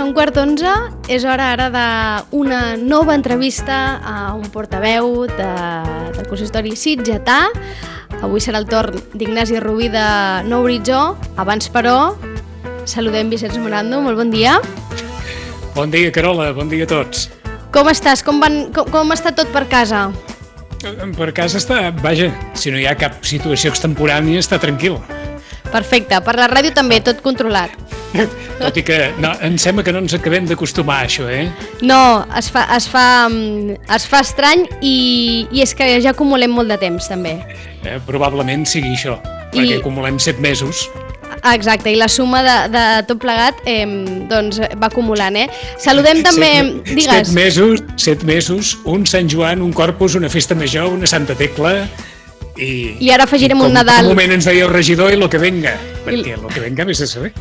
11:15, és hora ara d'una nova entrevista a un portaveu del consistori sitgetà. Avui serà el torn d'Ignasi Rubí de Nou Horitzó. Abans, però, saludem Vicenç Morando. Molt bon dia. Bon dia, Carola. Bon dia a tots. Com estàs? Com està tot per casa? Per casa està, vaja, si no hi ha cap situació extemporània, està tranquil. Perfecte. Per la ràdio també, tot controlat. Tot i que em sembla que no ens acabem d'acostumar a això, eh? No, es fa estrany i és que ja acumulem molt de temps, també. Probablement sigui això, perquè acumulem 7 mesos. Exacte, i la suma de tot plegat doncs va acumulant, eh? Saludem també... Digues. 7 mesos, un Sant Joan, un Corpus, una festa major, una Santa Tecla... I ara afegirem un Nadal. Un moment ens deia el regidor i lo que venga, perquè lo que venga vés a saber.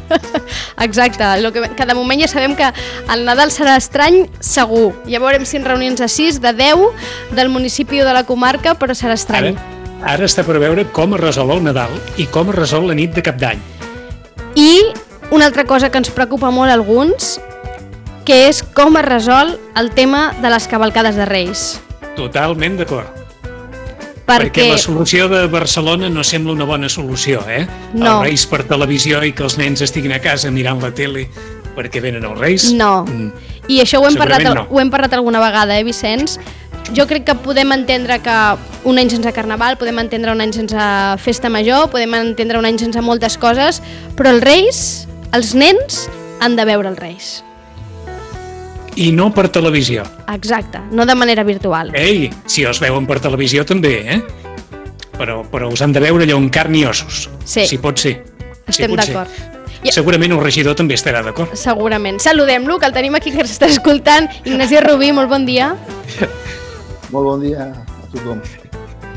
Exacte, que de moment ja sabem que el Nadal serà estrany segur. Ja veurem si en reunions a 6 de 10 del municipi o de la comarca, però serà estrany. Ara està per veure com es resol el Nadal i com es resol la nit de Cap d'Any. I una altra cosa que ens preocupa molt a alguns, que és com es resol el tema de les cavalcades de Reis. Totalment d'acord. Perquè la solució de Barcelona no sembla una bona solució, eh? No. Els Reis per televisió i que els nens estiguin a casa mirant la tele perquè venen els Reis. No, i això ho hem parlat alguna vegada, Vicenç? Jo crec que podem entendre que un any sense Carnaval, podem entendre un any sense Festa Major, podem entendre un any sense moltes coses, però els Reis, els nens, han de veure els Reis. I no per televisió. Exacte, no de manera virtual. Ei, si els veuen per televisió també, eh? Però us han de veure allò en carn i ossos. Sí. Si pot ser. Estem d'acord. Segurament el regidor també estarà d'acord. Segurament. Saludem-lo, que el tenim aquí, que ens està escoltant. Ignasi Rubí, molt bon dia. Molt bon dia a tothom.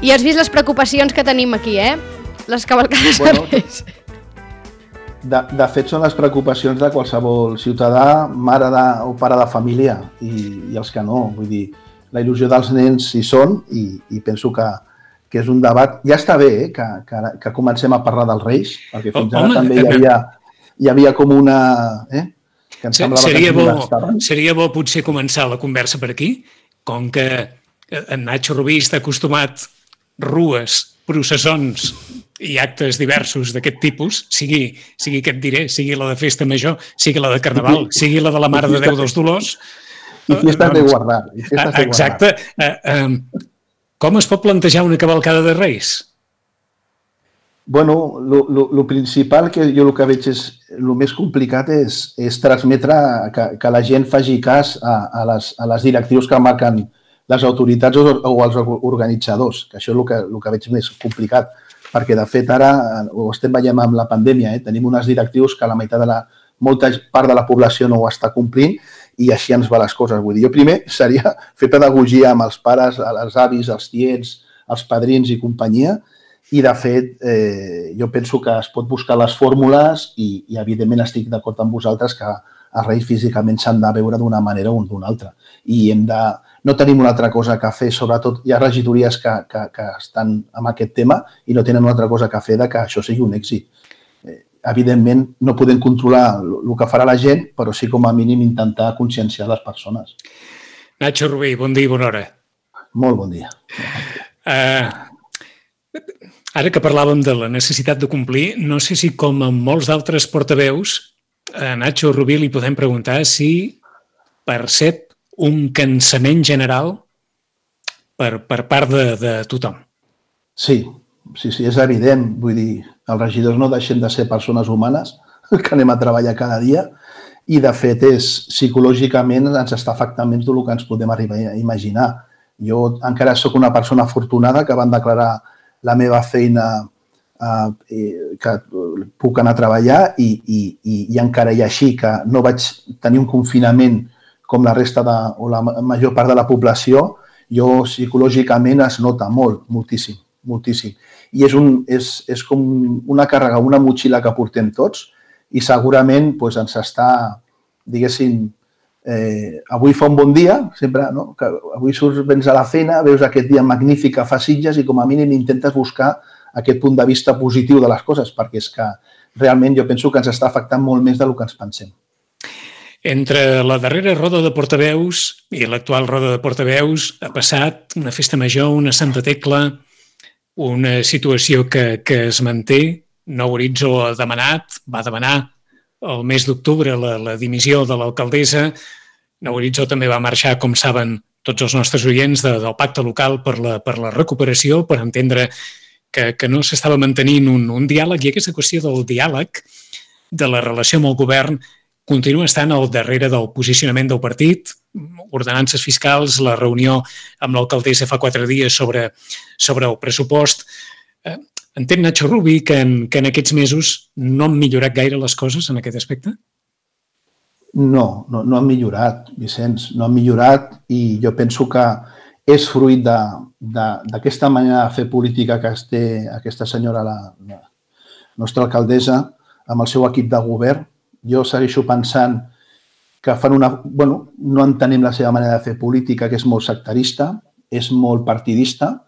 I has vist les preocupacions que tenim aquí, eh? Les cavalcades de Reis. De fet, són les preocupacions de qualsevol ciutadà, mare o pare de família, i els que no. Vull dir, la il·lusió dels nens hi són i penso que és un debat... Ja està bé que comencem a parlar dels Reis, perquè fins ara també hi havia com una... Que em semblava que ens molestaven. Seria bo potser començar la conversa per aquí, com que en Nacho Rubí està acostumat rues, processons i actes diversos d'aquest tipus, sigui que et diré, sigui la de Festa Major, sigui la de Carnaval, sigui la de la Mare de Déu dels Dolors... I fiestas de guardar. Exacte. Com es pot plantejar una cavalcada de Reis? Bueno, el principal, que jo el que veig és el més complicat, és transmetre que la gent faci cas a les directrius que marquen les autoritats o els organitzadors, que això és el que veig més complicat, perquè de fet ara ho estem veient amb la pandèmia, tenim unes directrius que la meitat molta part de la població no ho està complint i així ens va les coses. Vull dir, jo primer seria fer pedagogia amb els pares, els avis, els tiets, els padrins i companyia, i de fet jo penso que es pot buscar les fórmules i evidentment estic d'acord amb vosaltres que els Reis físicament s'han de veure d'una manera o d'una altra. I no tenim una altra cosa que fer, sobretot hi ha regidories que estan amb aquest tema i no tenen una altra cosa que fer que això sigui un èxit. Evidentment no podem controlar el que farà la gent, però sí com a mínim intentar conscienciar les persones. Nacho Rubí, bon dia i bona hora. Molt bon dia. Ara que parlàvem de la necessitat de complir, no sé si com en molts d'altres portaveus, a Nacho Rubí li podem preguntar si percep un cansament general per part de tothom. Sí, és evident. Vull dir, els regidors no deixem de ser persones humanes que anem a treballar cada dia i, de fet, psicològicament ens està afectant més del que ens podem arribar a imaginar. Jo encara sóc una persona afortunada que van declarar la meva feina que puc anar a treballar i encara i així que no vaig tenir un confinament com la resta o la major part de la població, jo psicològicament es nota moltíssim. I és com una càrrega, una motxilla que portem tots i segurament ens està, diguéssim, avui fa un bon dia, sempre, no? Que avui vens a la feina, veus aquest dia magnífic que fa Sitges i com a mínim intentes buscar aquest punt de vista positiu de les coses, perquè és que realment jo penso que ens està afectant molt més del que ens pensem. Entre la darrera roda de portaveus i l'actual roda de portaveus ha passat una festa major, una Santa Tecla, una situació que es manté. Nou Horitzó va demanar el mes d'octubre la dimissió de l'alcaldessa. Nou Horitzó també va marxar, com saben tots els nostres oients, del pacte local per la recuperació, per entendre que no s'estava mantenint un diàleg, i aquesta qüestió del diàleg, de la relació amb el govern, continua estant al darrere del posicionament del partit. Ordenances fiscals, la reunió amb l'alcaldessa fa 4 dies sobre el pressupost. Entén Nacho Rubí que en aquests mesos no han millorat gaire les coses en aquest aspecte? No han millorat, Vicenç, no han millorat, i jo penso que és fruit d'aquesta manera de fer política que té aquesta senyora, la nostra alcaldessa, amb el seu equip de govern. Jo segueixo pensant que no entenem la seva manera de fer política, que és molt sectarista, és molt partidista,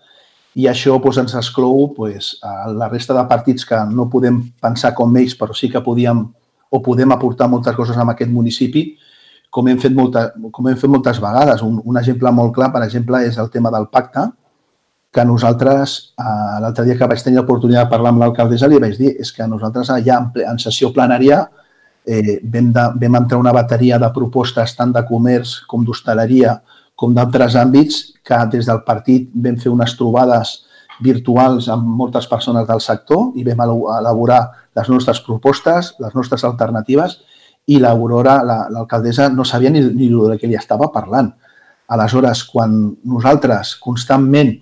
i això ens exclou a la resta de partits que no podem pensar com ells, però sí que podem aportar moltes coses en aquest municipi, com hem fet moltes vegades. Un exemple molt clar, per exemple, és el tema del pacte, que nosaltres, l'altre dia que vaig tenir l'oportunitat de parlar amb l'alcaldessa, li vaig dir que nosaltres ja en sessió plenària vam entrar una bateria de propostes tant de comerç com d'hostaleria com d'altres àmbits, que des del partit vam fer unes trobades virtuals amb moltes persones del sector i vam elaborar les nostres propostes, les nostres alternatives, i l'Aurora, l'alcaldessa, no sabia ni de què li estava parlant. Aleshores, quan nosaltres constantment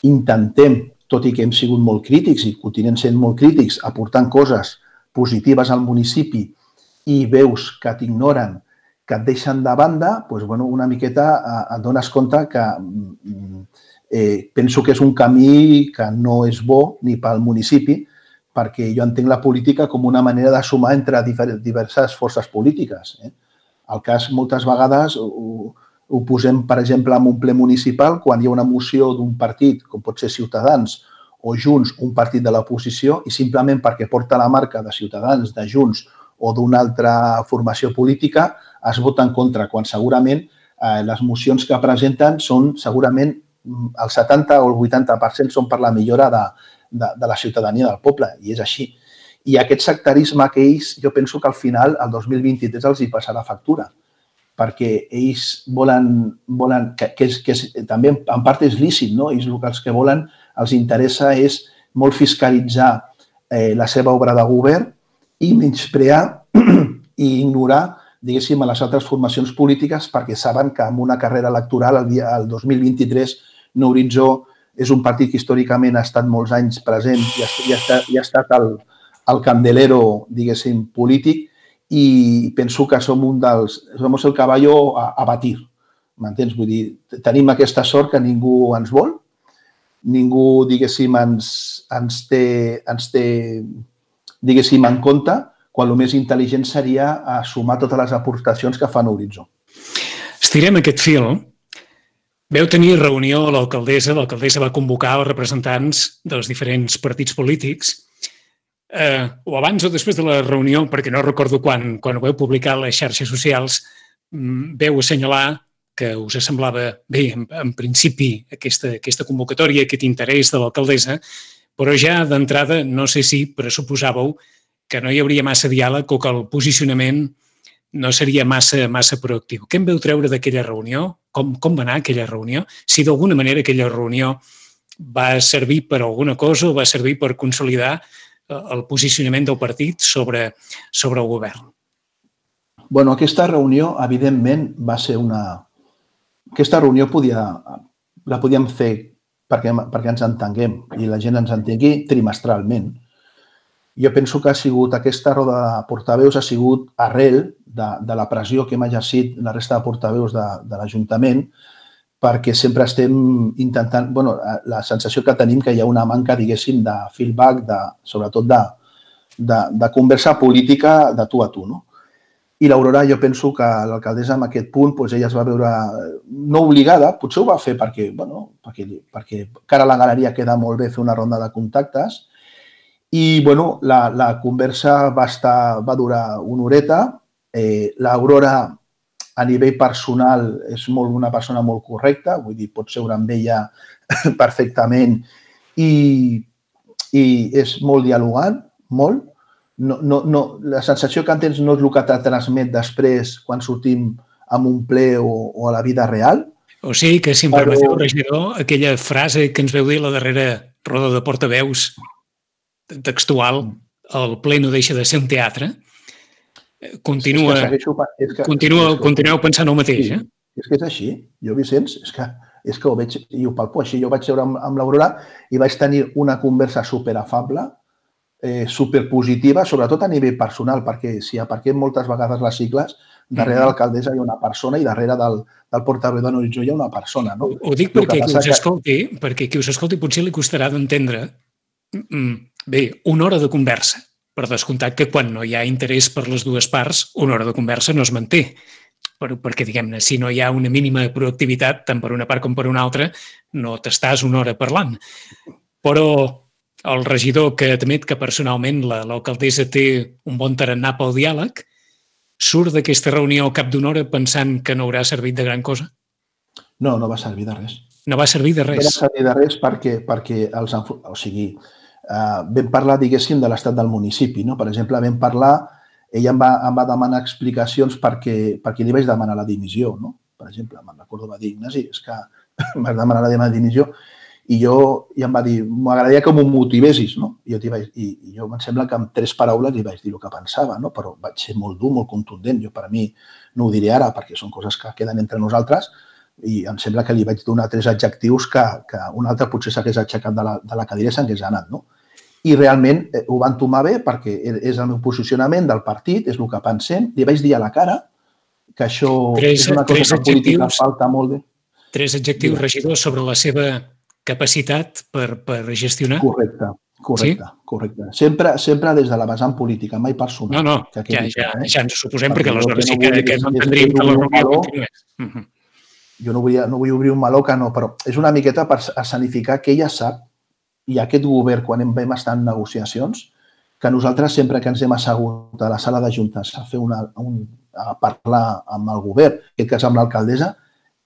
intentem, tot i que hem sigut molt crítics i continuem sent molt crítics, aportant coses positives al municipi, i veus que t'ignoren, que et deixen de banda, una miqueta et dones compte que penso que és un camí que no és bo ni pel municipi, perquè jo entenc la política com una manera de sumar entre diverses forces polítiques. El cas, moltes vegades, ho posem, per exemple, en un ple municipal, quan hi ha una moció d'un partit, com pot ser Ciutadans, o Junts, un partit de l'oposició, i simplement perquè porta la marca de Ciutadans, de Junts o d'una altra formació política, es vota en contra, quan segurament les mocions que presenten són segurament el 70 o el 80% són per la millora de la ciutadania del poble, i és així. I aquest sectarisme que ells, jo penso que al final, el 2023, els hi passarà factura, perquè ells volen que també en part és lícit, no? Ells el que volen, els interessa és molt fiscalitzar la seva obra de govern i menysprear i ignorar, diguéssim, a les altres formacions polítiques, perquè saben que en una carrera electoral, el 2023, Nou Horitzó és un partit que històricament ha estat molts anys present i ha estat el candelero, diguéssim, polític, i penso que som somos el caballo a batir, m'entens? Vull dir, tenim aquesta sort que ningú ens vol, ningú, diguéssim, ens té, diguéssim, en compte, quan el més intel·ligent seria sumar totes les aportacions que fa Nou Horitzó. Estirem aquest fil. Veu tenir reunió a l'alcaldessa va convocar els representants dels diferents partits polítics, o abans o després de la reunió, perquè no recordo quan ho veu publicar a les xarxes socials, veu assenyalar que us semblava bé, en principi, aquesta convocatòria, aquest interès de l'alcaldessa, però ja d'entrada no sé si pressuposàveu que no hi hauria massa diàleg o que el posicionament no seria massa proactiu. Què en veu treure d'aquella reunió? Com va anar aquella reunió? Si d'alguna manera aquella reunió va servir per alguna cosa o va servir per consolidar el posicionament del partit sobre el govern? Bueno, aquesta reunió, evidentment, va ser Aquesta reunió la podíem fer perquè ens entenguem i la gent ens entengui trimestralment. Jo penso que aquesta roda de portaveus ha sigut arrel de la pressió que hem exercit la resta de portaveus de l'Ajuntament, perquè sempre estem intentant... La sensació que tenim que hi ha una manca, diguéssim, de feedback, sobretot de conversa política de tu a tu, no? I l'Aurora, jo penso que l'alcaldessa en aquest punt, ella es va veure no obligada, potser ho va fer perquè cara a la galeria queda molt bé fer una ronda de contactes, i la conversa va durar una horeta L'Aurora, a nivell personal, és una persona molt correcta, vull dir, pots seure amb ella perfectament i és molt dialogant, molt. La sensació que tens no és el que te transmet després quan sortim amb un ple o a la vida real. O sigui que, si em permeteu, regidor, aquella frase que ens veu dir a la darrera roda de portaveus textual, el ple no deixa de ser un teatre, continueu pensant el mateix, eh? És que és així. Jo, Vicenç, és que ho veig i ho palpo així. Jo vaig seure amb l'Aurora i vaig tenir una conversa superafable, superpositiva, sobretot a nivell personal, perquè si aparquem moltes vegades les sigles, darrere de l'alcaldessa hi ha una persona i darrere del portaveu de Horitzó hi ha una persona. No? Ho dic perquè qui us escolti potser li costarà d'entendre. Bé, una hora de conversa. Per descomptat que quan no hi ha interès per les dues parts, una hora de conversa no es manté. Perquè, diguem-ne, si no hi ha una mínima proactivitat, tant per una part com per una altra, no t'estàs una hora parlant. Però el regidor que admet que personalment l'alcaldessa té un bon tarannà pel diàleg, surt d'aquesta reunió al cap d'una hora pensant que no haurà servit de gran cosa? No, no va servir de res. No va servir de res? No va servir de res perquè vam parlar, diguéssim, de l'estat del municipi. No? Per exemple, vam parlar, ella em va demanar explicacions perquè li vaig demanar la dimissió. No? Per exemple, me'n recordo, va dir, Ignasi, és que em vas demanar la dimissió i em va dir, m'agradaria que m'ho motivessis. No? I jo em sembla que amb 3 paraules li vaig dir el que pensava, no? Però vaig ser molt dur, molt contundent. Jo, per a mi, no ho diré ara perquè són coses que queden entre nosaltres, i em sembla que li vaig donar 3 adjectius que un altre potser s'hagués aixecat de la cadira i s'hagués anat. No? I realment ho van tomar bé perquè és el meu posicionament del partit, és el que pensem. Li vaig dir a la cara que això és una cosa que política falta molt bé. 3 adjectius, regidor, sobre la seva capacitat per gestionar? Correcte. Sempre des de la vessant política, mai personal. No, ja ens ho suposem, perquè aleshores sí que no entendríem que la reunió continués. Jo no vull obrir un meló que no, però és una miqueta per escenificar que ella sap, i aquest govern, quan vam estar en negociacions, que nosaltres sempre que ens hem assegut a la sala de juntes a parlar amb el govern, en aquest cas amb l'alcaldessa,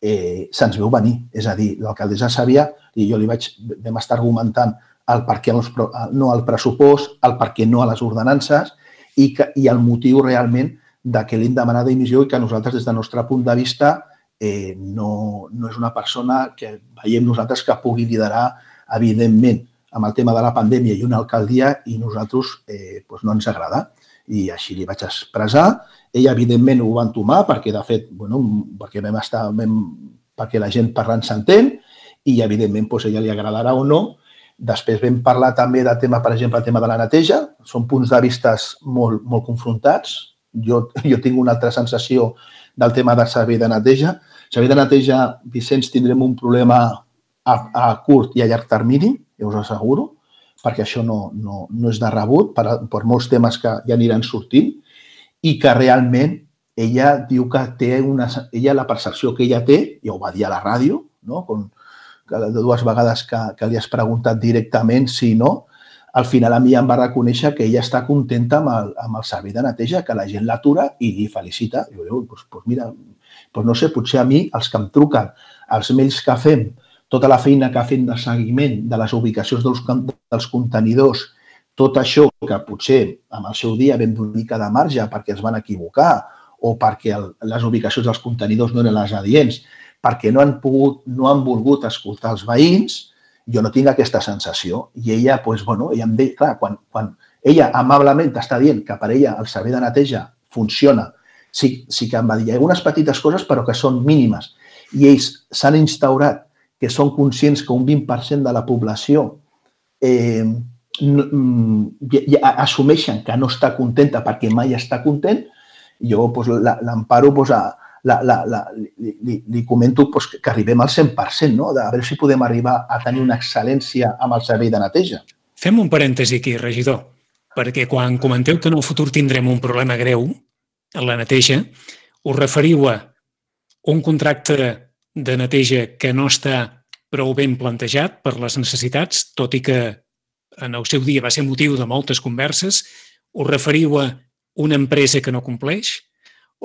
se'ns veu venir. És a dir, l'alcaldessa sabia, i jo vam estar argumentant el per què no al pressupost, el per què no a les ordenances i el motiu realment de que li hem demanat dimissió i que nosaltres, des del nostre punt de vista, no és una persona que veiem nosaltres que pugui liderar, evidentment, amb el tema de la pandèmia i una alcaldia, i nosaltres no ens agrada. I així li vaig expressar. Ella, evidentment, ho va entomar perquè, de fet, perquè la gent parlant s'entén i, evidentment, a ella li agradarà o no. Després vam parlar també del tema, per exemple, el tema de la neteja. Són punts de vista molt, molt confrontats. Jo tinc una altra sensació del tema del servei de neteja. El servei de neteja, Vicenç, tindrem un problema a curt i a llarg termini, ja us asseguro, perquè això no és de rebut per molts temes que ja aniran sortint i que realment ella diu que té la percepció que ella té, ja ho va dir a la ràdio, no? De 2 vegades que li has preguntat directament si no, al final a mi em va reconèixer que ella està contenta amb el servei de neteja, que la gent l'atura i li felicita. I jo dic, mira, no sé, potser a mi, els que em truquen, els mails que fem, tota la feina que ha fet de seguiment de les ubicacions dels contenidors, tot això que potser en el seu dia vam donar una mica de marge perquè es van equivocar o perquè les ubicacions dels contenidors no eren les adients, perquè no han volgut escoltar els veïns, jo no tinc aquesta sensació. I ella, ella em deia, clar, quan ella amablement t'està dient que per ella el servei de neteja funciona, sí que em va dir, hi ha algunes petites coses però que són mínimes i ells s'han instaurat que són conscients que un 20% de la població assumeixen que no està contenta perquè mai està content, jo l'emparo, li comento que arribem al 100%, no? A veure si podem arribar a tenir una excel·lència amb el servei de neteja. Fem un parèntesi aquí, regidor, perquè quan comenteu que en el futur tindrem un problema greu en la neteja, us referiu a un contracte de neteja que no està prou ben plantejat per les necessitats, tot i que en el seu dia va ser motiu de moltes converses. Us referiu a una empresa que no compleix?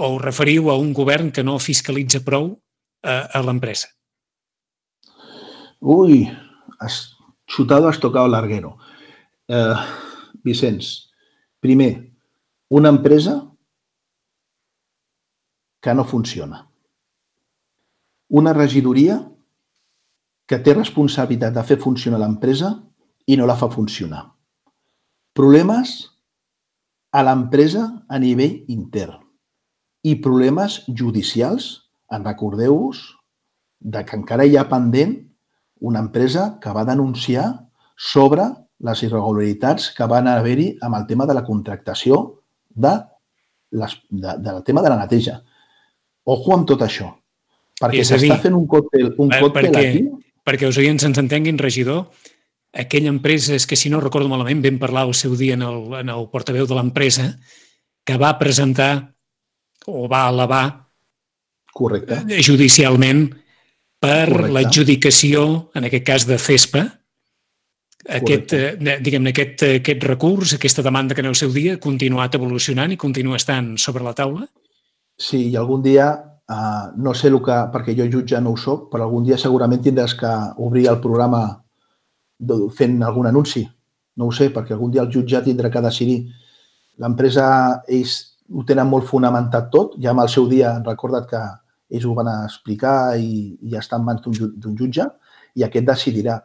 o us referiu a un govern que no fiscalitza prou a l'empresa? Uy, has chutado, has tocado larguero. Vicenç, primer, una empresa que no funciona. Una regidoria que té responsabilitat de fer funcionar l'empresa i no la fa funcionar. Problemes a l'empresa a nivell intern i problemes judicials, en recordeu-vos, que encara hi ha pendent una empresa que va denunciar sobre les irregularitats que van haver-hi amb el tema de la contractació del tema de la neteja. Ojo amb tot això, perquè s'està fent un còctel aquí. Perquè els oients ens entenguin, regidor, aquella empresa, és que si no recordo malament, vam parlar el seu dia en el portaveu de l'empresa, que va presentar o va elevar judicialment per l'adjudicació, en aquest cas de CESPA, aquest recurs, aquesta demanda que en el seu dia ha continuat evolucionant i continua estant sobre la taula? Sí, i algun dia, no sé perquè jo jutge no ho soc, però algun dia segurament tindràs que obrir el programa fent algun anunci. No ho sé, perquè algun dia el jutge tindrà que decidir. L'empresa, ells ho tenen molt fonamentat tot, ja amb el seu dia han recordat que ells ho van explicar i ja està en mans d'un jutge i aquest decidirà.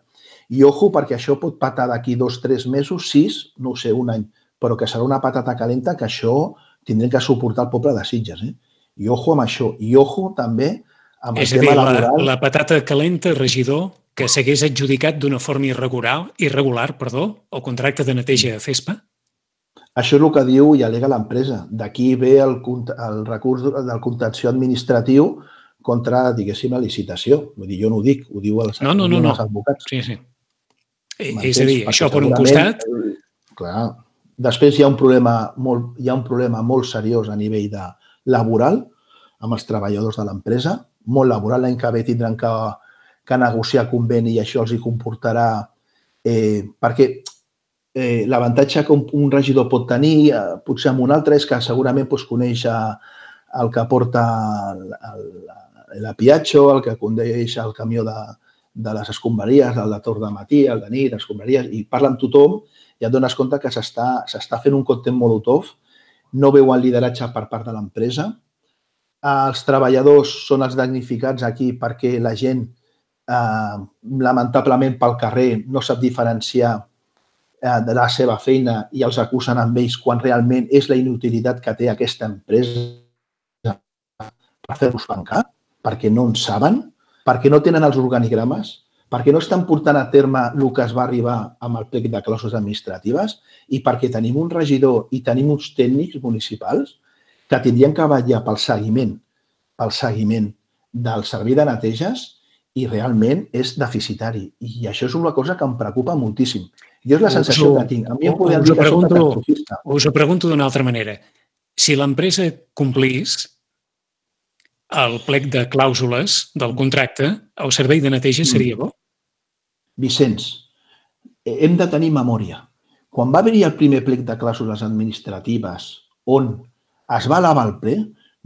I ojo, perquè això pot patar d'aquí 2, 3 mesos, 6, no ho sé, un any, però que serà una patata calenta que això tindrem que suportar el poble de Sitges. I ojo amb això. I ojo també amb el tema laboral. La patata calenta, regidor, que s'hagués adjudicat d'una forma irregular, el contracte de neteja de CESPA? Això és el que diu i al·lega l'empresa. D'aquí ve el recurs del contenciós administratiu contra, diguéssim, la licitació. Vull dir, jo no ho dic, ho diu els advocats. Sí, sí. És a dir, això per un costat... Clar. Després hi ha un problema molt seriós a nivell laboral amb els treballadors de l'empresa. Molt laboral, l'any que ve tindran que negociar conveni i això els hi comportarà perquè l'avantatge que un regidor pot tenir, potser amb un altre, és que segurament coneix el que porta l'apiatxo, el que condueix el camió de les escombraries, el de torn de matí, el de nit, les escombraries, i parla amb tothom i et dones compte que s'està fent un còctel molotov, no veuen lideratge per part de l'empresa. Els treballadors són els damnificats aquí perquè la gent, lamentablement pel carrer, no sap diferenciar de la seva feina i els acusen amb ells quan realment és la inutilitat que té aquesta empresa per fer-los tancar, perquè no en saben, perquè no tenen els organigrames, perquè no estan portant a terme el que es va arribar amb el plec de clàusules administratives i perquè tenim un regidor i tenim uns tècnics municipals que tindrien que vetllar pel seguiment del servei de neteges i realment és deficitari. I això és una cosa que em preocupa moltíssim. Jo és la sensació que tinc. A mi em podien dir que soc catastrofista. Us ho pregunto d'una altra manera. Si l'empresa complís el plec de clàusules del contracte, el servei de neteja seria bo? Vicenç, hem de tenir memòria. Quan va haver-hi el primer plec de clàusules administratives on es va elevar el ple,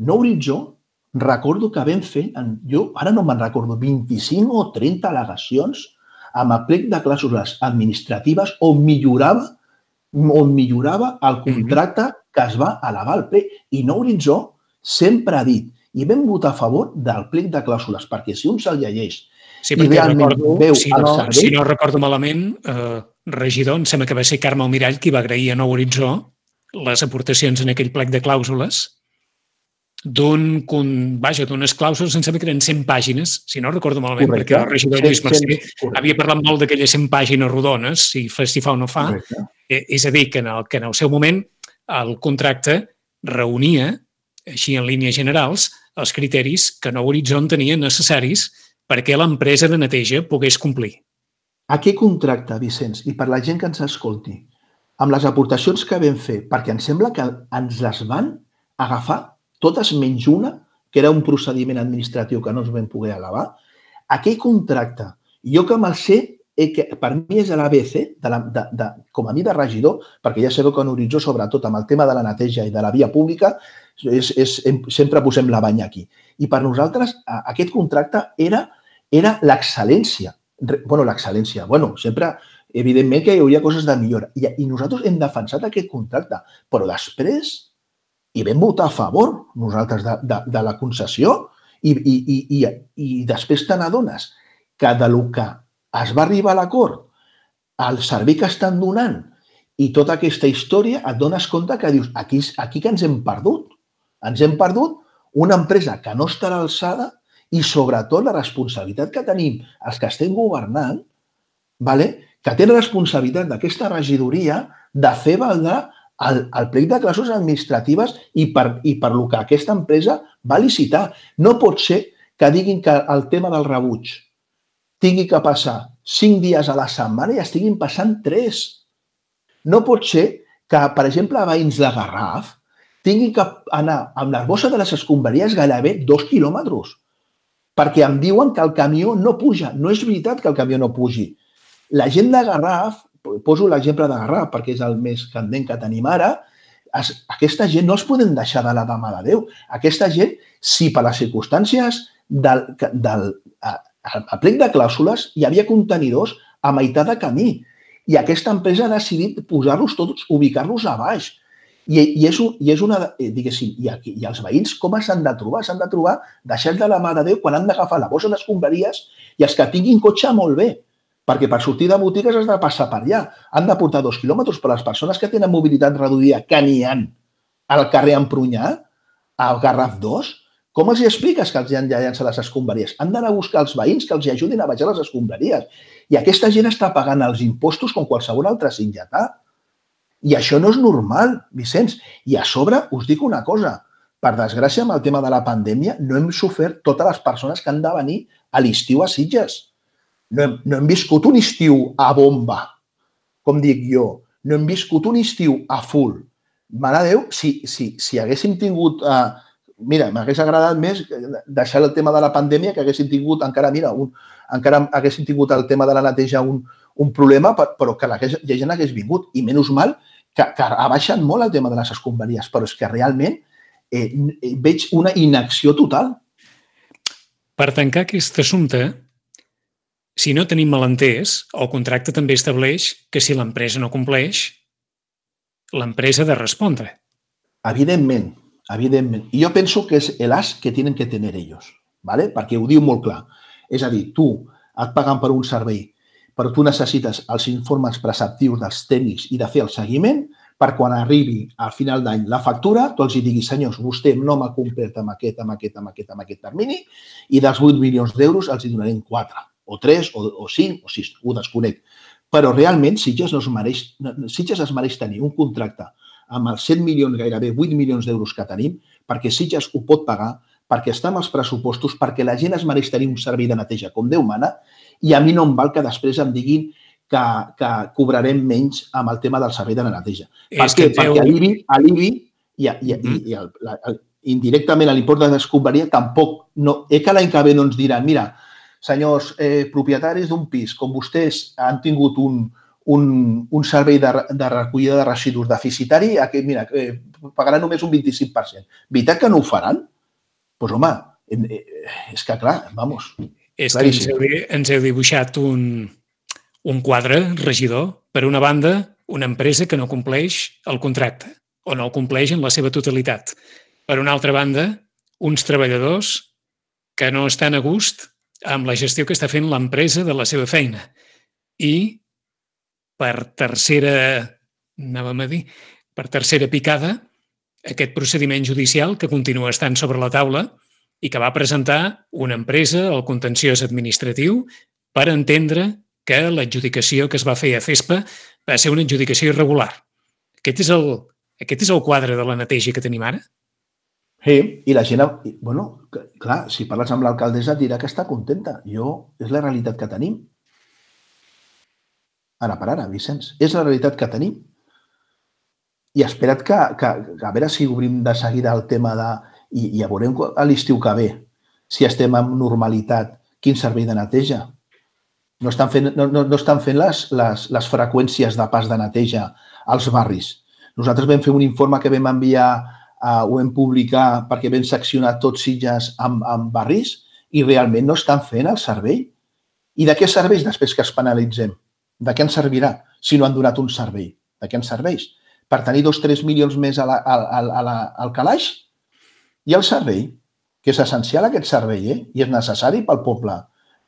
Nou Horitzó, recordo que vam fer, jo ara no me'n recordo, 25 o 30 al·legacions amb el plec de clàusules administratives on millorava el contracte que es va elevar al ple. I Nou Horitzó sempre ha dit i vam votar a favor del plec de clàusules, perquè si un se'l llegeix i realment veu el servei... Si no recordo malament, regidor, em sembla que va ser Carme Almirall qui va agrair a Nou Horitzó les aportacions en aquell plec de clàusules d'unes clàusules, em sembla que eren 100 pàgines, si no recordo malament, perquè el regidor Lluís Mercè havia parlat molt d'aquelles 100 pàgines rodones, si fa o no fa. És a dir, que en el seu moment el contracte reunia, així en línies generals, els criteris que Nou Horitzó tenia necessaris perquè l'empresa de neteja pogués complir. Aquest contracte, Vicenç, i per la gent que ens escolti, amb les aportacions que vam fer, perquè em sembla que ens les van agafar totes menys una, que era un procediment administratiu que no ens vam poder elevar, aquell contracte, jo que me'l sé que per mi és l'ABC, com a mi de regidor, perquè ja sabeu que en Horitzó, sobretot amb el tema de la neteja i de la via pública, sempre posem la banya aquí. I per nosaltres aquest contracte era l'excel·lència. L'excel·lència. Sempre, evidentment, que hi hauria coses de millora. I nosaltres hem defensat aquest contracte, però després hi vam votar a favor, nosaltres, de la concessió i després te n'adones que del que es va arribar a l'acord, el servei que estan donant i tota aquesta història, et dones compte que dius, aquí que ens hem perdut. Ens hem perdut una empresa que no està a l'alçada i, sobretot, la responsabilitat que tenim els que estem governant, que tenen responsabilitat d'aquesta regidoria de fer valdre el plec de clàusules administratives i per lo que aquesta empresa va licitar. No pot ser que diguin que el tema del rebuig tingui que passar 5 dies a la setmana i estiguin passant 3. No pot ser que, per exemple, veïns de Garraf tinguin que anar amb la bossa de les escombraries gairebé 2 quilòmetres perquè em diuen que el camió no puja. No és veritat que el camió no pugi. La gent de Garraf, poso l'exemple de Garraf perquè és el més candent que tenim ara, aquesta gent no els podem deixar de la mà de Déu. Aquesta gent, si per les circumstàncies del plec de clàusules hi havia contenidors a meitat de camí i aquesta empresa ha decidit posar-los tots, ubicar-los a baix. I és una, diguéssim, i els veïns com s'han de trobar? S'han de trobar deixant de la mà de Déu quan han d'agafar la bossa d'escombraries i els que tinguin cotxe molt bé, perquè per sortir de botigues has de passar per allà. Han de portar 2 quilòmetres per les persones que tenen mobilitat reduïda, que n'hi ha al carrer Empronyà, al Garraf 2. Com els expliques que els han de llançar les escombraries? Han d'anar a buscar els veïns que els ajudin a baixar les escombraries. I aquesta gent està pagant els impostos com qualsevol altre singletà. I això no és normal, Vicenç. I a sobre us dic una cosa. Per desgràcia, amb el tema de la pandèmia, no hem sofert totes les persones que han de venir a l'estiu a Sitges. No hem viscut un estiu a bomba, com dic jo. No hem viscut un estiu a full. Mare de Déu, si haguéssim tingut... Mira, m'hagués agradat més deixar el tema de la pandèmia que haguéssim tingut encara haguéssim tingut el tema de la neteja un problema, però que la gent hagués vingut. I menys mal que ha baixat molt el tema de les escombraries, però és que realment veig una inacció total. Per tancar aquest assumpte, si no tenim malentès, el contracte també estableix que si l'empresa no compleix, l'empresa ha de respondre. Evidentment. I jo penso que és l'as que tenen que tenir ells, perquè ho diu molt clar. És a dir, tu et paguen per un servei, però tu necessites els informes preceptius dels tècnics i de fer el seguiment per quan arribi al final d'any la factura, tu els diguis, senyors, vostè no m'ha complert amb aquest termini i dels 8 milions d'euros els hi donarem 4, o 3, o 5, o 6, ho desconec. Però realment Sitges es mereix tenir un contracte amb els 100 milions, gairebé 8 milions d'euros que tenim, perquè Sitges ho pot pagar, perquè està amb els pressupostos, perquè la gent es mereix tenir un servei de neteja com Déu mana, i a mi no em val que després em diguin que cobrarem menys amb el tema del servei de la neteja. Per què? Perquè l'IBI i indirectament l'import de l'escombraria tampoc, que l'any que ve no ens diran, mira, senyors propietaris d'un pis, com vostès han tingut un servei de recollida de residus deficitari, mira, pagaran només un 25%. Veritat que no ho faran? Doncs, home, és que clar, vamos. És que ens heu dibuixat un quadre, regidor. Per una banda, una empresa que no compleix el contracte o no el compleix en la seva totalitat. Per una altra banda, uns treballadors que no estan a gust amb la gestió que està fent l'empresa de la seva feina. I per tercera picada, aquest procediment judicial que continua estant sobre la taula i que va presentar una empresa al contenciós administratiu per entendre que l'adjudicació que es va fer a CESPA va ser una adjudicació irregular. Aquest és el quadre de la neteja que tenim ara? Sí, i la gent... Bueno, clar, si parles amb l'alcaldessa dirà que està contenta. És la realitat que tenim. Ara per ara, Vicenç. És la realitat que tenim. I espera't que a veure si obrim de seguida el tema de... I ja veurem a l'estiu que ve, si estem en normalitat, quin servei de neteja. No estan fent les freqüències de pas de neteja als barris. Nosaltres vam fer un informe que vam enviar, ho vam publicar perquè vam seccionar tots Sitges amb barris i realment no estan fent el servei. I de què serveix després que es penalitzem? De què ens servirà si no han donat un servei? De què ens serveix? Per tenir 2 o 3 milions més al calaix? I el servei, que és essencial aquest servei, i és necessari pel poble.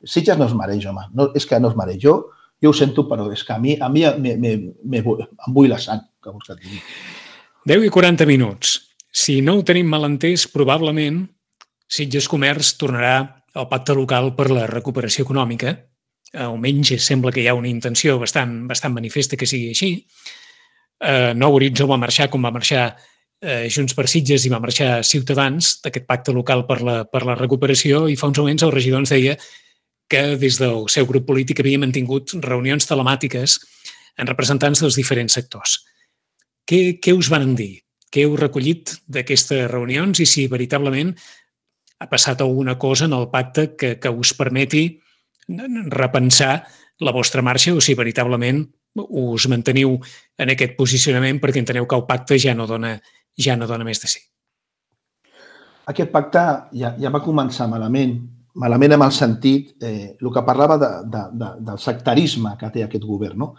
Sitges no es mereix, home. No, és que no es mereix. Jo ho sento, però és que a mi em bull la sang, que vols que et digui. 10:40 minuts. Si no ho tenim mal entès, probablement Sitges Comerç tornarà al pacte local per la recuperació econòmica. Almenys sembla que hi ha una intenció bastant manifesta que sigui així. Nou Horitzó va marxar com va marxar Junts per Sitges i va marxar Ciutadans d'aquest pacte local per la recuperació i fa uns moments el regidor ens deia que des del seu grup polític havia mantingut reunions telemàtiques amb representants dels diferents sectors. Què us van dir? Què heu recollit d'aquestes reunions i si veritablement ha passat alguna cosa en el pacte que us permeti repensar la vostra marxa o si veritablement us manteniu en aquest posicionament perquè enteneu que el pacte ja no dona més de si? Aquest pacte ja va començar malament amb el sentit, el que parlava del sectarisme que té aquest govern. No?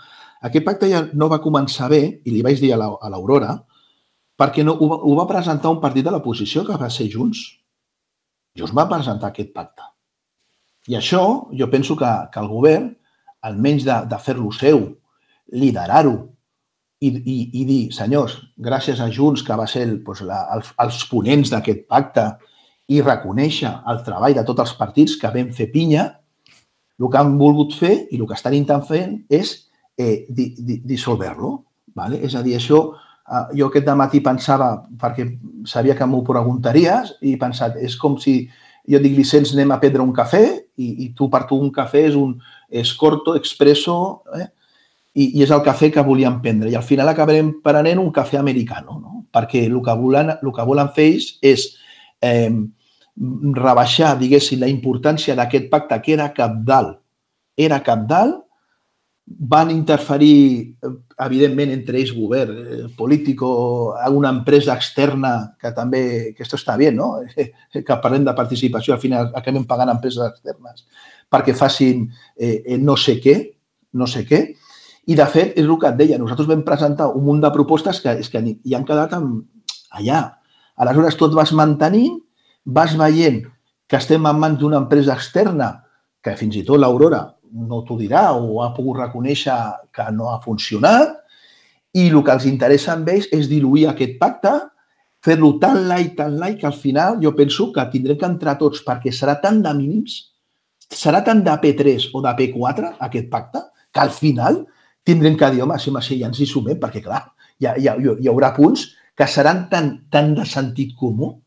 Aquest pacte ja no va començar bé, i li vaig dir a l'Aurora, perquè ho va presentar un partit de l'oposició que va ser Junts. Junts va presentar aquest pacte. I això, jo penso que el govern, almenys de fer-lo seu, liderar-ho i dir, senyors, gràcies a Junts, que va ser els ponents d'aquest pacte, i reconèixer el treball de tots els partits que vam fer pinya, el que han volgut fer i el que estan intentant fer és dissolver-lo. És a dir, això, jo aquest dematí pensava, perquè sabia que m'ho preguntaries, i he pensat, és com si jo dic, Vicenç, anem a prendre un cafè, i tu per tu un cafè és corto, expresso, i és el cafè que volíem prendre. I al final acabarem prenent un cafè americano, no? Perquè el que volen fer ells és rebaixar, diguéssim, la importància d'aquest pacte, que era cabdal. Van interferir, evidentment, entre ells, govern, polític, una empresa externa, que també, que esto està bé, no? Que parlem de participació, al final acabem pagant empreses externes perquè facin no sé què, i de fet, és el que et deia, nosaltres vam presentar un munt de propostes que hi han quedat allà. Aleshores, tot vas mantenint, vas veient que estem en mans d'una empresa externa, que fins i tot l'Aurora no t'ho dirà o ha pogut reconèixer que no ha funcionat, i el que els interessa amb ells és diluir aquest pacte, fer-lo tan light, que al final jo penso que tindrem que entrar tots perquè serà tan de mínims, serà tan de P3 o de P4 aquest pacte, que al final tindrem que dir, home, sí, ja ens hi sumem, perquè clar, hi haurà punts que seran tan de sentit comú,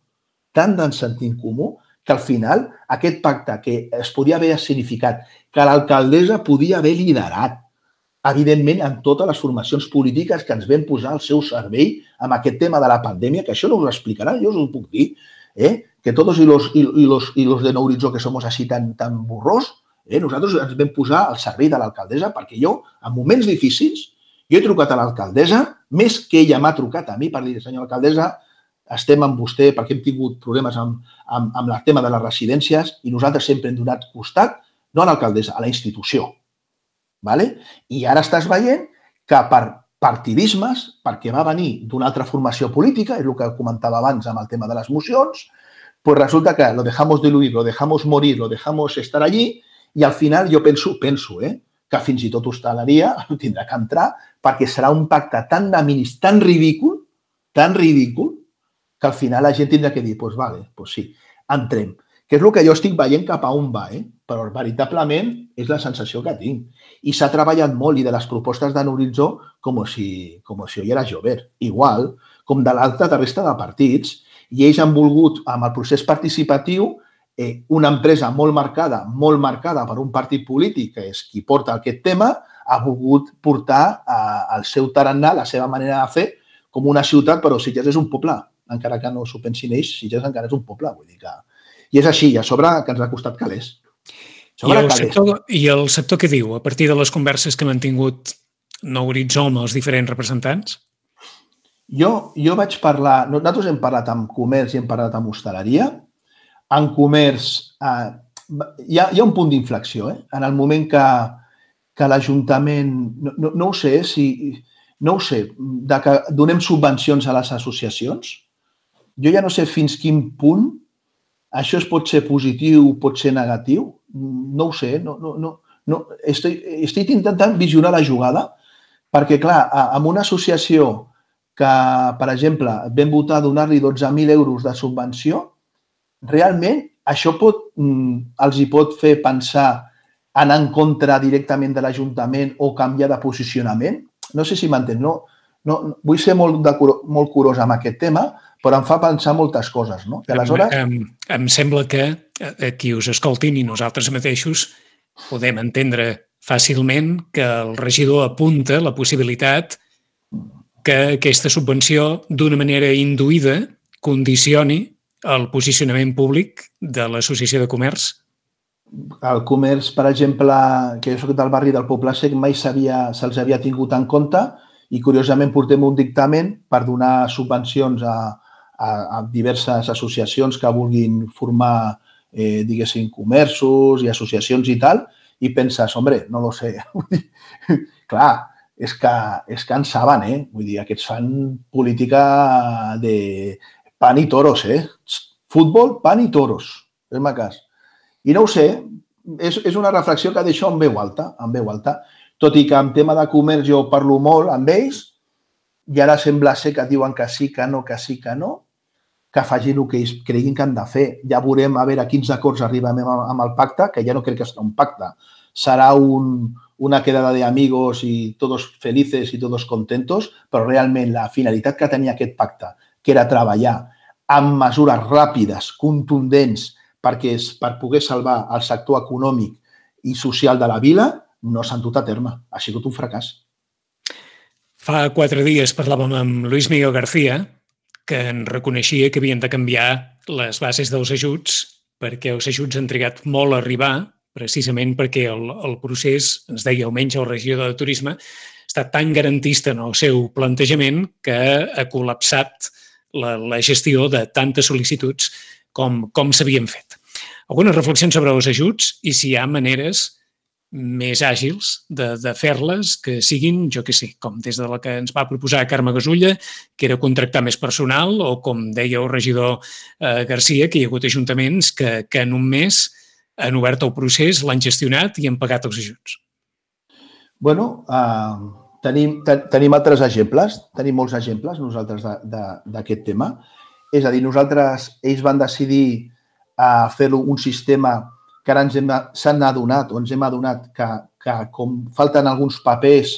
que al final aquest pacte que es podia haver significat que l'alcaldessa podia haver liderat, evidentment, en totes les formacions polítiques que ens vam posar al seu servei amb aquest tema de la pandèmia, que això no us ho explicaran, jo us ho puc dir, que tots y los de Nou Horitzó que somos así tan burros, nosaltres ens vam posar al servei de l'alcaldessa perquè jo, en moments difícils, jo he trucat a l'alcaldessa, més que ella m'ha trucat a mi per dir, senyora alcaldessa, estem amb vostè perquè hem tingut problemes amb el tema de les residències i nosaltres sempre hem donat costat, no a l'alcaldessa, a la institució. I ara estàs veient que per partidismes, perquè va venir d'una altra formació política, és el que comentava abans amb el tema de les mocions, pues resulta que lo dejamos diluir, lo dejamos morir, lo dejamos estar allí i al final jo penso que fins i tot hostaleria tindrà que entrar perquè serà un pacte tan de mínims, tan ridícul, que al final la gent tindrà que dir, doncs vale, doncs sí, entrem. Que és el que jo estic veient cap a on va, però veritablement és la sensació que tinc. I s'ha treballat molt i de les propostes de Nou Horitzó com si hoy era llover. Igual, com de l'altra de resta de partits, i ells han volgut, amb el procés participatiu, una empresa molt marcada per un partit polític, que és qui porta aquest tema, ha volgut portar el seu tarannà, la seva manera de fer, com una ciutat, però Sitges és un poble. Encara que no s'ho pensin ells, Sitges encara és un poble. Vull dir que... I és així, i a sobre que ens ha costat calés. I el sector què diu a partir de les converses que han mantingut Nou Horitzó amb els diferents representants? Jo vaig parlar, nosaltres hem parlat amb comerç i hem parlat amb hostaleria. En comerç hi ha un punt d'inflexió. En el moment que l'Ajuntament, no ho sé, que donem subvencions a les associacions, jo ja no sé fins quin punt això pot ser positiu, pot ser negatiu, no ho sé, no. Estic intentant visionar la jugada perquè, clar, amb una associació que, per exemple, vam votar donar-li 12.000 euros de subvenció, realment això els hi pot fer pensar anar en contra directament de l'Ajuntament o canviar de posicionament? No sé si m'entens, no? Vull ser molt curós amb aquest tema, però em fa pensar moltes coses, no? I aleshores... Em sembla que qui us escoltin i nosaltres mateixos podem entendre fàcilment que el regidor apunta la possibilitat que aquesta subvenció, d'una manera induïda, condicioni el posicionament públic de l'Associació de Comerç? El comerç, per exemple, que jo soc del barri del Poble Sec, mai se'ls havia tingut en compte i, curiosament, portem un dictamen per donar subvencions a diverses associacions que vulguin formar, diguéssim, comerços i associacions i tal, i penses, hombre, no lo sé. Clar, és que en saben, Vull dir, aquests fan política de pan i toros, Futbol, pan i toros, és-me cas. I no ho sé, és una reflexió que deixo en veu alta, tot i que en tema de comerç jo parlo molt amb ells i ara sembla ser que diuen que sí, que no, que facin el que ells creguin que han de fer. Ja veurem a veure quins acords arribem amb el pacte, que ja no crec que serà un pacte, serà una quedada de amigos y todos felices y todos contentos, però realment la finalitat que tenia aquest pacte, que era treballar amb mesures ràpides, contundents, per poder salvar el sector econòmic i social de la vila, no s'han dut a terme. Ha sigut un fracàs. Fa 4 dies parlàvem amb Luis Miguel García, que en reconeixia que havien de canviar les bases dels ajuts perquè els ajuts han trigat molt a arribar, precisament perquè el procés, ens deia almenys el regidor de Turisme, ha estat tan garantista en el seu plantejament que ha col·lapsat la gestió de tantes sol·licituds com s'havien fet. Algunes reflexions sobre els ajuts i si hi ha maneres més àgils de fer-les que siguin, jo què sé, com des de la que ens va proposar Carme Gasulla, que era contractar més personal, o com deia el regidor García, que hi ha hagut ajuntaments que en un mes han obert el procés, l'han gestionat i han pagat els ajuts. Bueno, tenim altres exemples, tenim molts exemples nosaltres d'aquest tema. És a dir, ells van decidir fer-lo un sistema que ara ens hem adonat que com falten alguns papers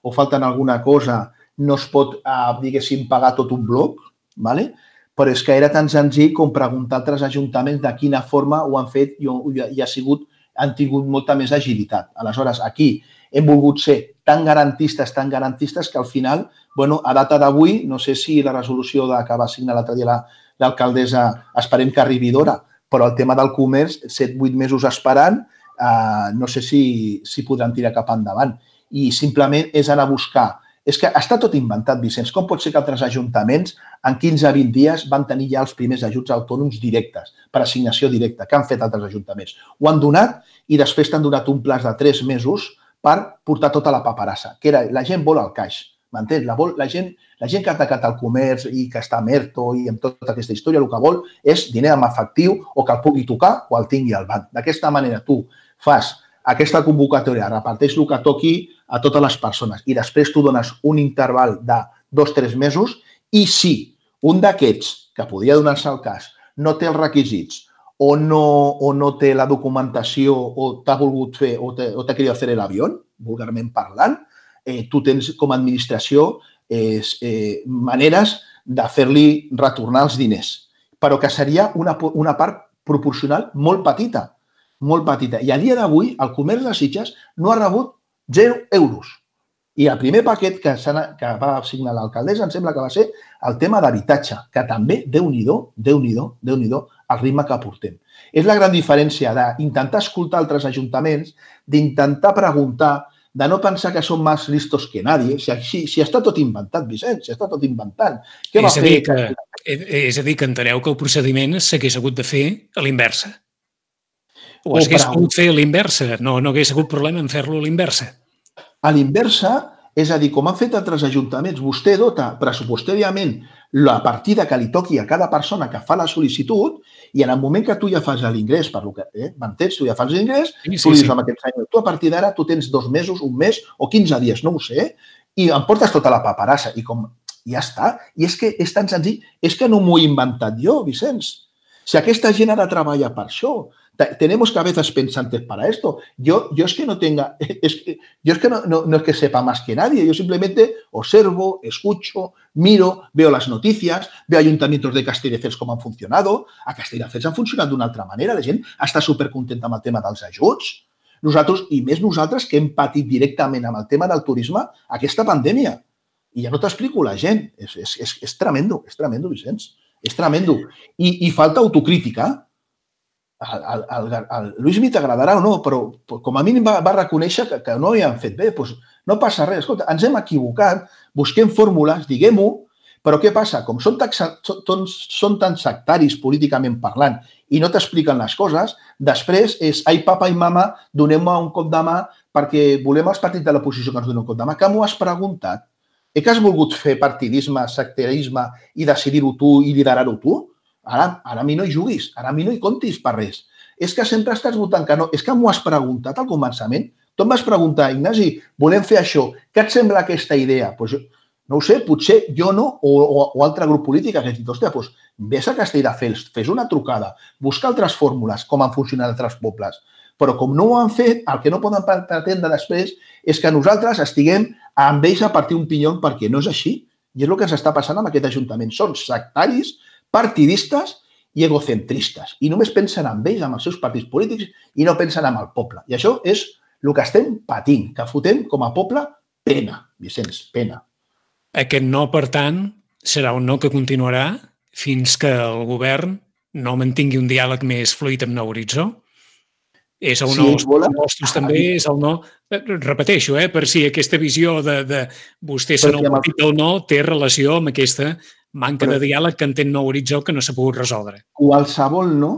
o falten alguna cosa, no es pot, diguéssim, pagar tot un bloc, ¿vale? Però és que era tan senzill com preguntar a altres ajuntaments de quina forma ho han fet i han tingut molta més agilitat. Aleshores, aquí hem volgut ser tan garantistes que al final, a data d'avui, no sé si la resolució que va signar l'altre dia l'alcaldessa esperem que arribi d'hora, però el tema del comerç, 7-8 mesos esperant, no sé si podran tirar cap endavant. I simplement és anar a buscar. És que està tot inventat, Vicenç. Com pot ser que altres ajuntaments en 15-20 dies van tenir ja els primers ajuts autònoms directes, per assignació directa? Què han fet altres ajuntaments? Ho han donat i després t'han donat un plaç de 3 mesos per portar tota la paperassa, que era la gent vol el caix, m'entens? La gent que ha atacat el comerç i que està a ERTO i amb tota aquesta història, el que vol és diner en efectiu o que el pugui tocar o el tingui al banc. D'aquesta manera tu fas aquesta convocatòria, reparteix el que toqui a totes les persones i després tu dones un interval de 2-3 mesos i si un d'aquests, que podria donar-se el cas, no té els requisits o no té la documentació o t'ha volgut fer o t'ha querido hacer el avión, vulgarment parlant, tu tens com a administració maneres de fer-li retornar els diners, però que seria una part proporcional molt petita. I a dia d'avui el comerç de Sitges no ha rebut 0 euros. I el primer paquet que va signar l'alcaldessa em sembla que va ser el tema d'habitatge, que també, Déu-n'hi-do, el ritme que portem. És la gran diferència d'intentar escoltar altres ajuntaments, d'intentar preguntar, de no pensar que som més listos que nadie. Si està tot inventat, Vicenç, si està tot inventant. Què va fer? És a dir, que enteneu que el procediment s'hagués hagut de fer a l'inversa. O s'hagués pogut fer a l'inversa. No hagués hagut problema en fer-lo a l'inversa. A l'inversa, és a dir, com han fet altres ajuntaments, vostè dota pressupostàriament la partida que li toqui a cada persona que fa la sol·licitud i en el moment que tu ja fas l'ingrés, per lo que m'entens, tu ja fas l'ingrés, tu li dius amb aquest senyor, tu a partir d'ara tu tens 2 mesos, 1 mes o 15 dies, no ho sé, i em portes tota la paperassa i com ja està. I és que és tan senzill, és que no m'ho he inventat jo, Vicenç. Si aquesta gent ha de treballar per això, tenemos cabezas pensantes para esto. Yo es que no tenga, yo es que no es que sepa más que nadie, yo simplemente observo, escucho, miro, veo las noticias, veo ayuntamientos de Castelldefels com han funcionado. A Castelldefels han funcionat d'una altra manera, la gent està supercontenta amb el tema dels ajuts. Nosaltres, i més nosaltres, que hem patit directament amb el tema del turisme aquesta pandèmia. I ja no t'explico la gent. És tremendo, Vicenç. És tremendo. I falta autocrítica. Al Lluís t'agradarà o no, però com a mínim va reconèixer que no ho havien fet bé. Doncs no passa res. Escolta, ens hem equivocat, busquem fórmules, diguem-ho, però què passa? Com són tan sectaris políticament parlant i no t'expliquen les coses, després és ai, papa i mama, donem-me un cop de mà perquè volem els partits de l'oposició que ens donen un cop de mà. Que m'ho has preguntat? Que has volgut fer partidisme, sectarisme i decidir-ho tu i liderar-ho tu? Ara a mi no hi juguis, ara a mi no hi comptis per res. És que sempre estàs votant que no. És que m'ho has preguntat al començament. Tu em vas preguntar, Ignasi, volem fer això. Què et sembla aquesta idea? Doncs no ho sé, potser jo no o altre grup polític que hagi dit, hòstia, doncs vés a Castelldefels, fes una trucada, busca altres fórmules, com han funcionat altres pobles. Però com no ho han fet, el que no poden pretendre després és que nosaltres estiguem amb ells a partir un pinyon perquè no és així. I és el que ens està passant amb aquest ajuntament. Són sectaris, partidistes i egocentristes. I només pensen en ells, amb els seus partits polítics, i no pensen en el poble. I això és el que estem patint, que fotem com a poble pena, Vicenç, pena. Aquest no, per tant, serà un no que continuarà fins que el govern no mantingui un diàleg més fluid amb Nou Horitzó? És el no als pressupostos també, és el no... Repeteixo, per si aquesta visió de vostè ser el partit del no té relació amb aquesta manca de diàleg que entén Nou Horitzó que no s'ha pogut resoldre. Qualsevol no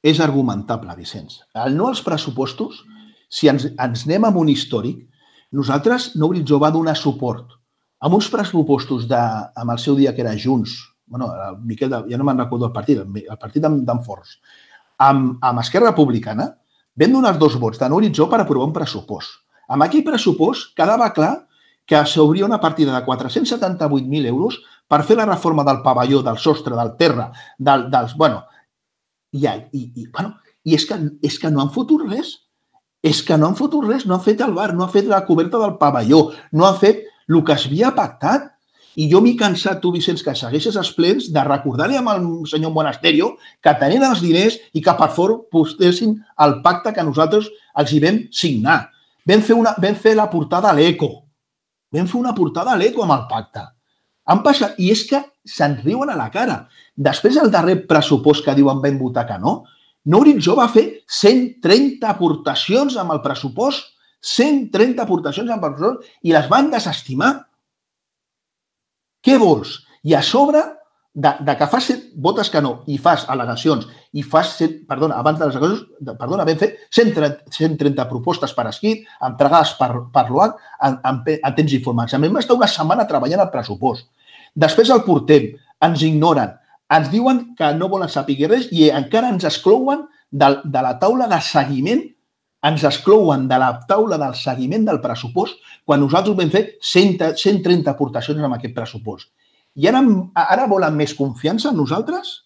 és argumentable, Vicenç. El no als pressupostos, si ens anem amb un històric, nosaltres, Nou Horitzó va donar suport amb uns pressupostos amb el seu dia que era Junts, el Miquel, ja no me'n recordo el partit d'en Forns, amb Esquerra Republicana, vam donar 2 vots de Nou Horitzó per aprovar un pressupost. Amb aquell pressupost quedava clar que s'obria una partida de 478.000 euros per fer la reforma del pavelló, del sostre, del terra, dels... I és que no han fotut res. És que no han fotut res. No han fet el bar, no han fet la coberta del pavelló, no han fet el que s'havia pactat. I jo m'he cansat, tu, Vicenç, que segueixes els plens de recordar-li amb el senyor Monasterio que tenien els diners i que per fort postessin el pacte que nosaltres els hi vam signar. Vam fer la portada a l'Eco. Vam fer una portada a l'Eco amb el pacte. Han passat, i és que se'n riuen a la cara. Després, el darrer pressupost que diuen vam votar que no, Nou Horitzó va fer 130 aportacions amb el pressupost, 130 aportacions amb el pressupost, i les van desestimar. Què vols? I a sobre de que fas votes que no i fas al·legacions i fas, abans de les al·legacions, vam fer 130 propostes per escrit, entregades per l'OAC en temps informats. A mi m'està una setmana treballant el pressupost. Després el portem, ens ignoren, ens diuen que no volen saber res i encara ens exclouen de la taula de seguiment, ens exclouen de la taula del seguiment del pressupost quan nosaltres vam fer 130 aportacions amb aquest pressupost. I ara volen més confiança en nosaltres?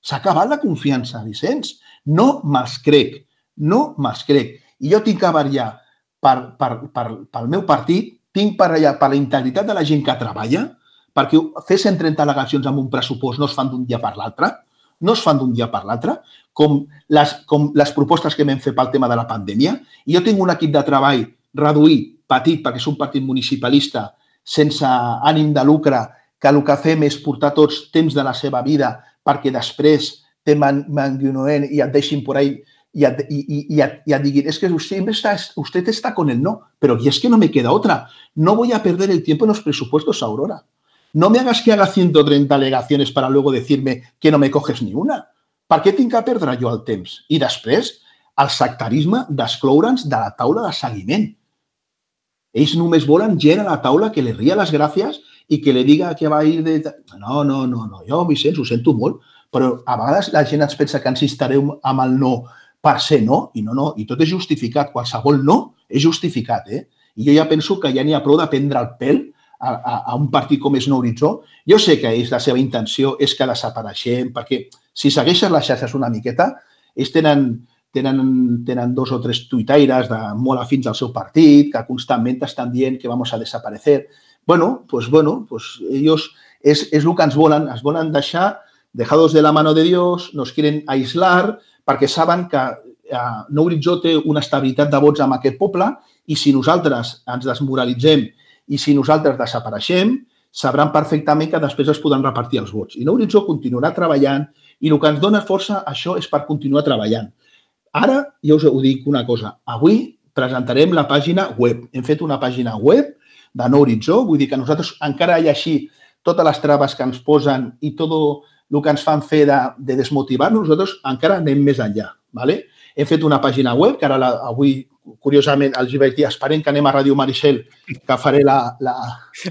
S'ha acabat la confiança, Vicenç. No me'ls crec. No me'ls crec. I jo tinc que vetllar pel meu partit, tinc per vetllar per la integritat de la gent que treballa, perquè fer 130 al·legacions amb un pressupost no es fan d'un dia per l'altre, no es fan d'un dia per l'altre, com les propostes que vam fer pel tema de la pandèmia. I jo tinc un equip de treball reduït petit, perquè és un partit municipalista sense ànim de lucre, que el que fem és portar tots temps de la seva vida perquè després te manguinoen i et deixin por ahí y a diguin, es que usted está con el no, pero y es que no me queda otra. No voy a perder el tiempo en los presupuestos, Aurora. No me hagas que haga 130 alegaciones para luego decirme que no me coges ni una. Per què tinc que perdre jo el temps? I després, el sectarisme d'excloure'ns de la taula de seguiment. Ells només volen gent a la taula que li ria les gràcies i que li diga que va ir de... No. Jo, Vicenç, ho sento molt, però a vegades la gent ens pensa que ens instarem amb el no per ser no, i no, i tot és justificat. Qualsevol no és justificat, eh? I jo ja penso que ja n'hi ha prou de prendre el pèl a un partit com és Nou Horitzó. Jo sé que la seva intenció és que desapareixem, perquè si segueixes les xarxes una miqueta, ells tenen 2 o 3 tuitaires molt afins al seu partit, que constantment estan dient que vamos a desaparecer. Bueno, ellos es el que ens volen deixar dejados de la mano de Dios, nos quieren aislar, perquè saben que Nou Horitzó té una estabilitat de vots amb aquest poble i si nosaltres ens desmoralitzem i si nosaltres desapareixem, sabran perfectament que després es podran repartir els vots. I Nou Horitzó continuarà treballant i el que ens dona força això és per continuar treballant. Ara, jo us ho dic una cosa, avui presentarem la pàgina web. Hem fet una pàgina web de Nou Horitzó, vull dir que nosaltres encara hi ha així totes les traves que ens posen i tot el que ens fan fer de desmotivar-nos, nosaltres encara anem més enllà. ¿Vale? Hem fet una pàgina web que ara avui, curiosament, els vaig dir, esperem que anem a Ràdio Maricel, que faré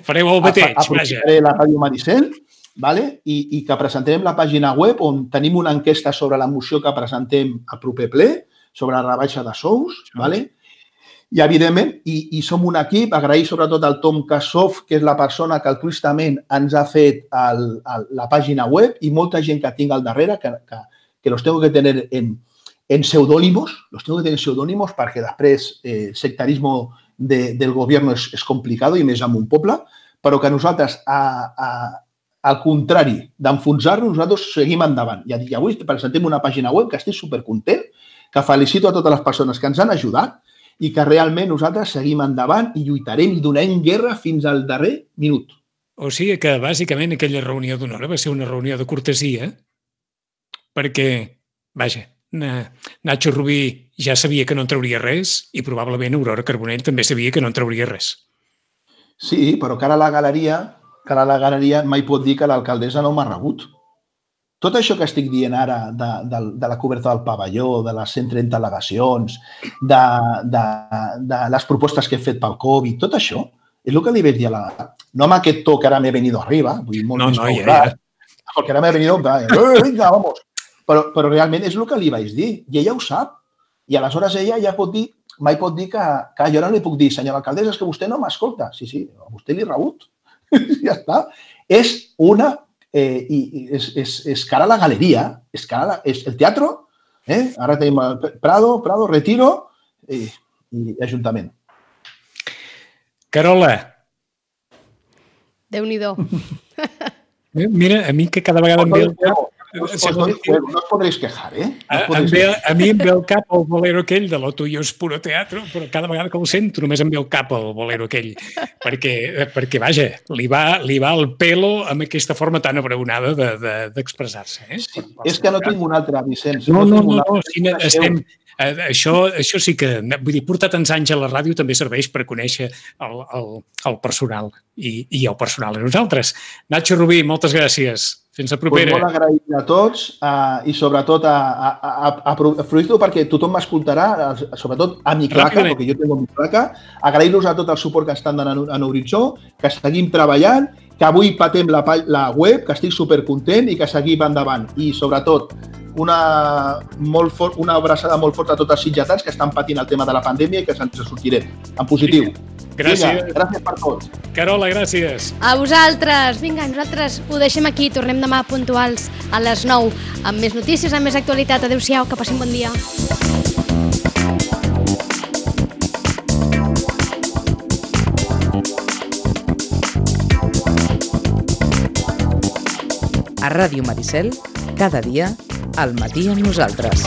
fareu el mateix, aprofitaré la Ràdio Maricel, ¿vale? I que presentarem la pàgina web on tenim una enquesta sobre la moció que presentem al proper ple, sobre la rebaixa de sous, ¿vale? I, evidentment, i som un equip, agrair sobretot al Tom Kassoff, que és la persona que altruistament ens ha fet la pàgina web i molta gent que tinc al darrere, que los tengo que tener en pseudónimos, perquè després el sectarismo del gobierno és complicat i més amb un poble, però que nosaltres, al contrari d'enfonsar-nos, nosaltres seguim endavant. I avui presentem una pàgina web que estic supercontent, que felicito a totes les persones que ens han ajudat i que realment nosaltres seguim endavant i lluitarem i donarem guerra fins al darrer minut. O sigui que, bàsicament, aquella reunió d'una hora va ser una reunió de cortesia, perquè, vaja, Nacho Rubí ja sabia que no en trauria res i probablement Aurora Carbonell també sabia que no en trauria res. Sí, però cara a la galeria mai pot dir que l'alcaldessa no m'ha rebut. Tot això que estic dient ara de la coberta del pavelló, de les 130 al·legacions, de les propostes que he fet pel Covid, tot això és el que li vaig dir a la... No amb aquest to que ara m'he venido arriba, vull dir, molt més paulat, perquè ara m'he venido... Vinga, vamos. Però realment és el que li vaig dir. I ella ho sap. I aleshores ella ja pot dir, mai pot dir que jo no li puc dir, senyora alcaldessa, és que vostè no m'escolta. Sí, a vostè l'he rebut. Ja està. És una... és cara a la galeria, és el teatro, ara tenim Prado, Retiro i Ajuntament. Carola. Déu-n'hi-do. Mira, a mi que cada vegada em ve el cap... No os podréis quejar, A mi em ve el cap el bolero aquell de Lo tuyo es puro teatro, però cada vegada que el sento només em ve el cap el bolero aquell, perquè vaja, li va el pelo amb aquesta forma tan abraonada d'expressar-se. És que no tinc un altre, Vicenç. No, això sí que... Vull dir, portar tants anys a la ràdio també serveix per conèixer el personal i el personal a nosaltres. Nacho Rubí, moltes gràcies. Fins la propera. Molt agraït a tots i sobretot aprofito perquè tothom m'escoltarà, sobretot a mi claca, perquè jo tengo mi claca. Agrair-los a tot el suport que estan donant a Nou Horitzó, que seguim treballant, que avui patem la web, que estic supercontent i que seguim endavant. I sobretot una abraçada molt forta a tots els sitgetans que estan patint el tema de la pandèmia i que se'ns sortirem en positiu. Gràcies. Vinga, gràcies per tots. Carola, gràcies. A vosaltres. Vinga, nosaltres ho deixem aquí. Tornem demà puntuals a les 9 amb més notícies, amb més actualitat. Adéu-siau, que passin bon dia. A Ràdio Maricel, cada dia, al matí amb nosaltres.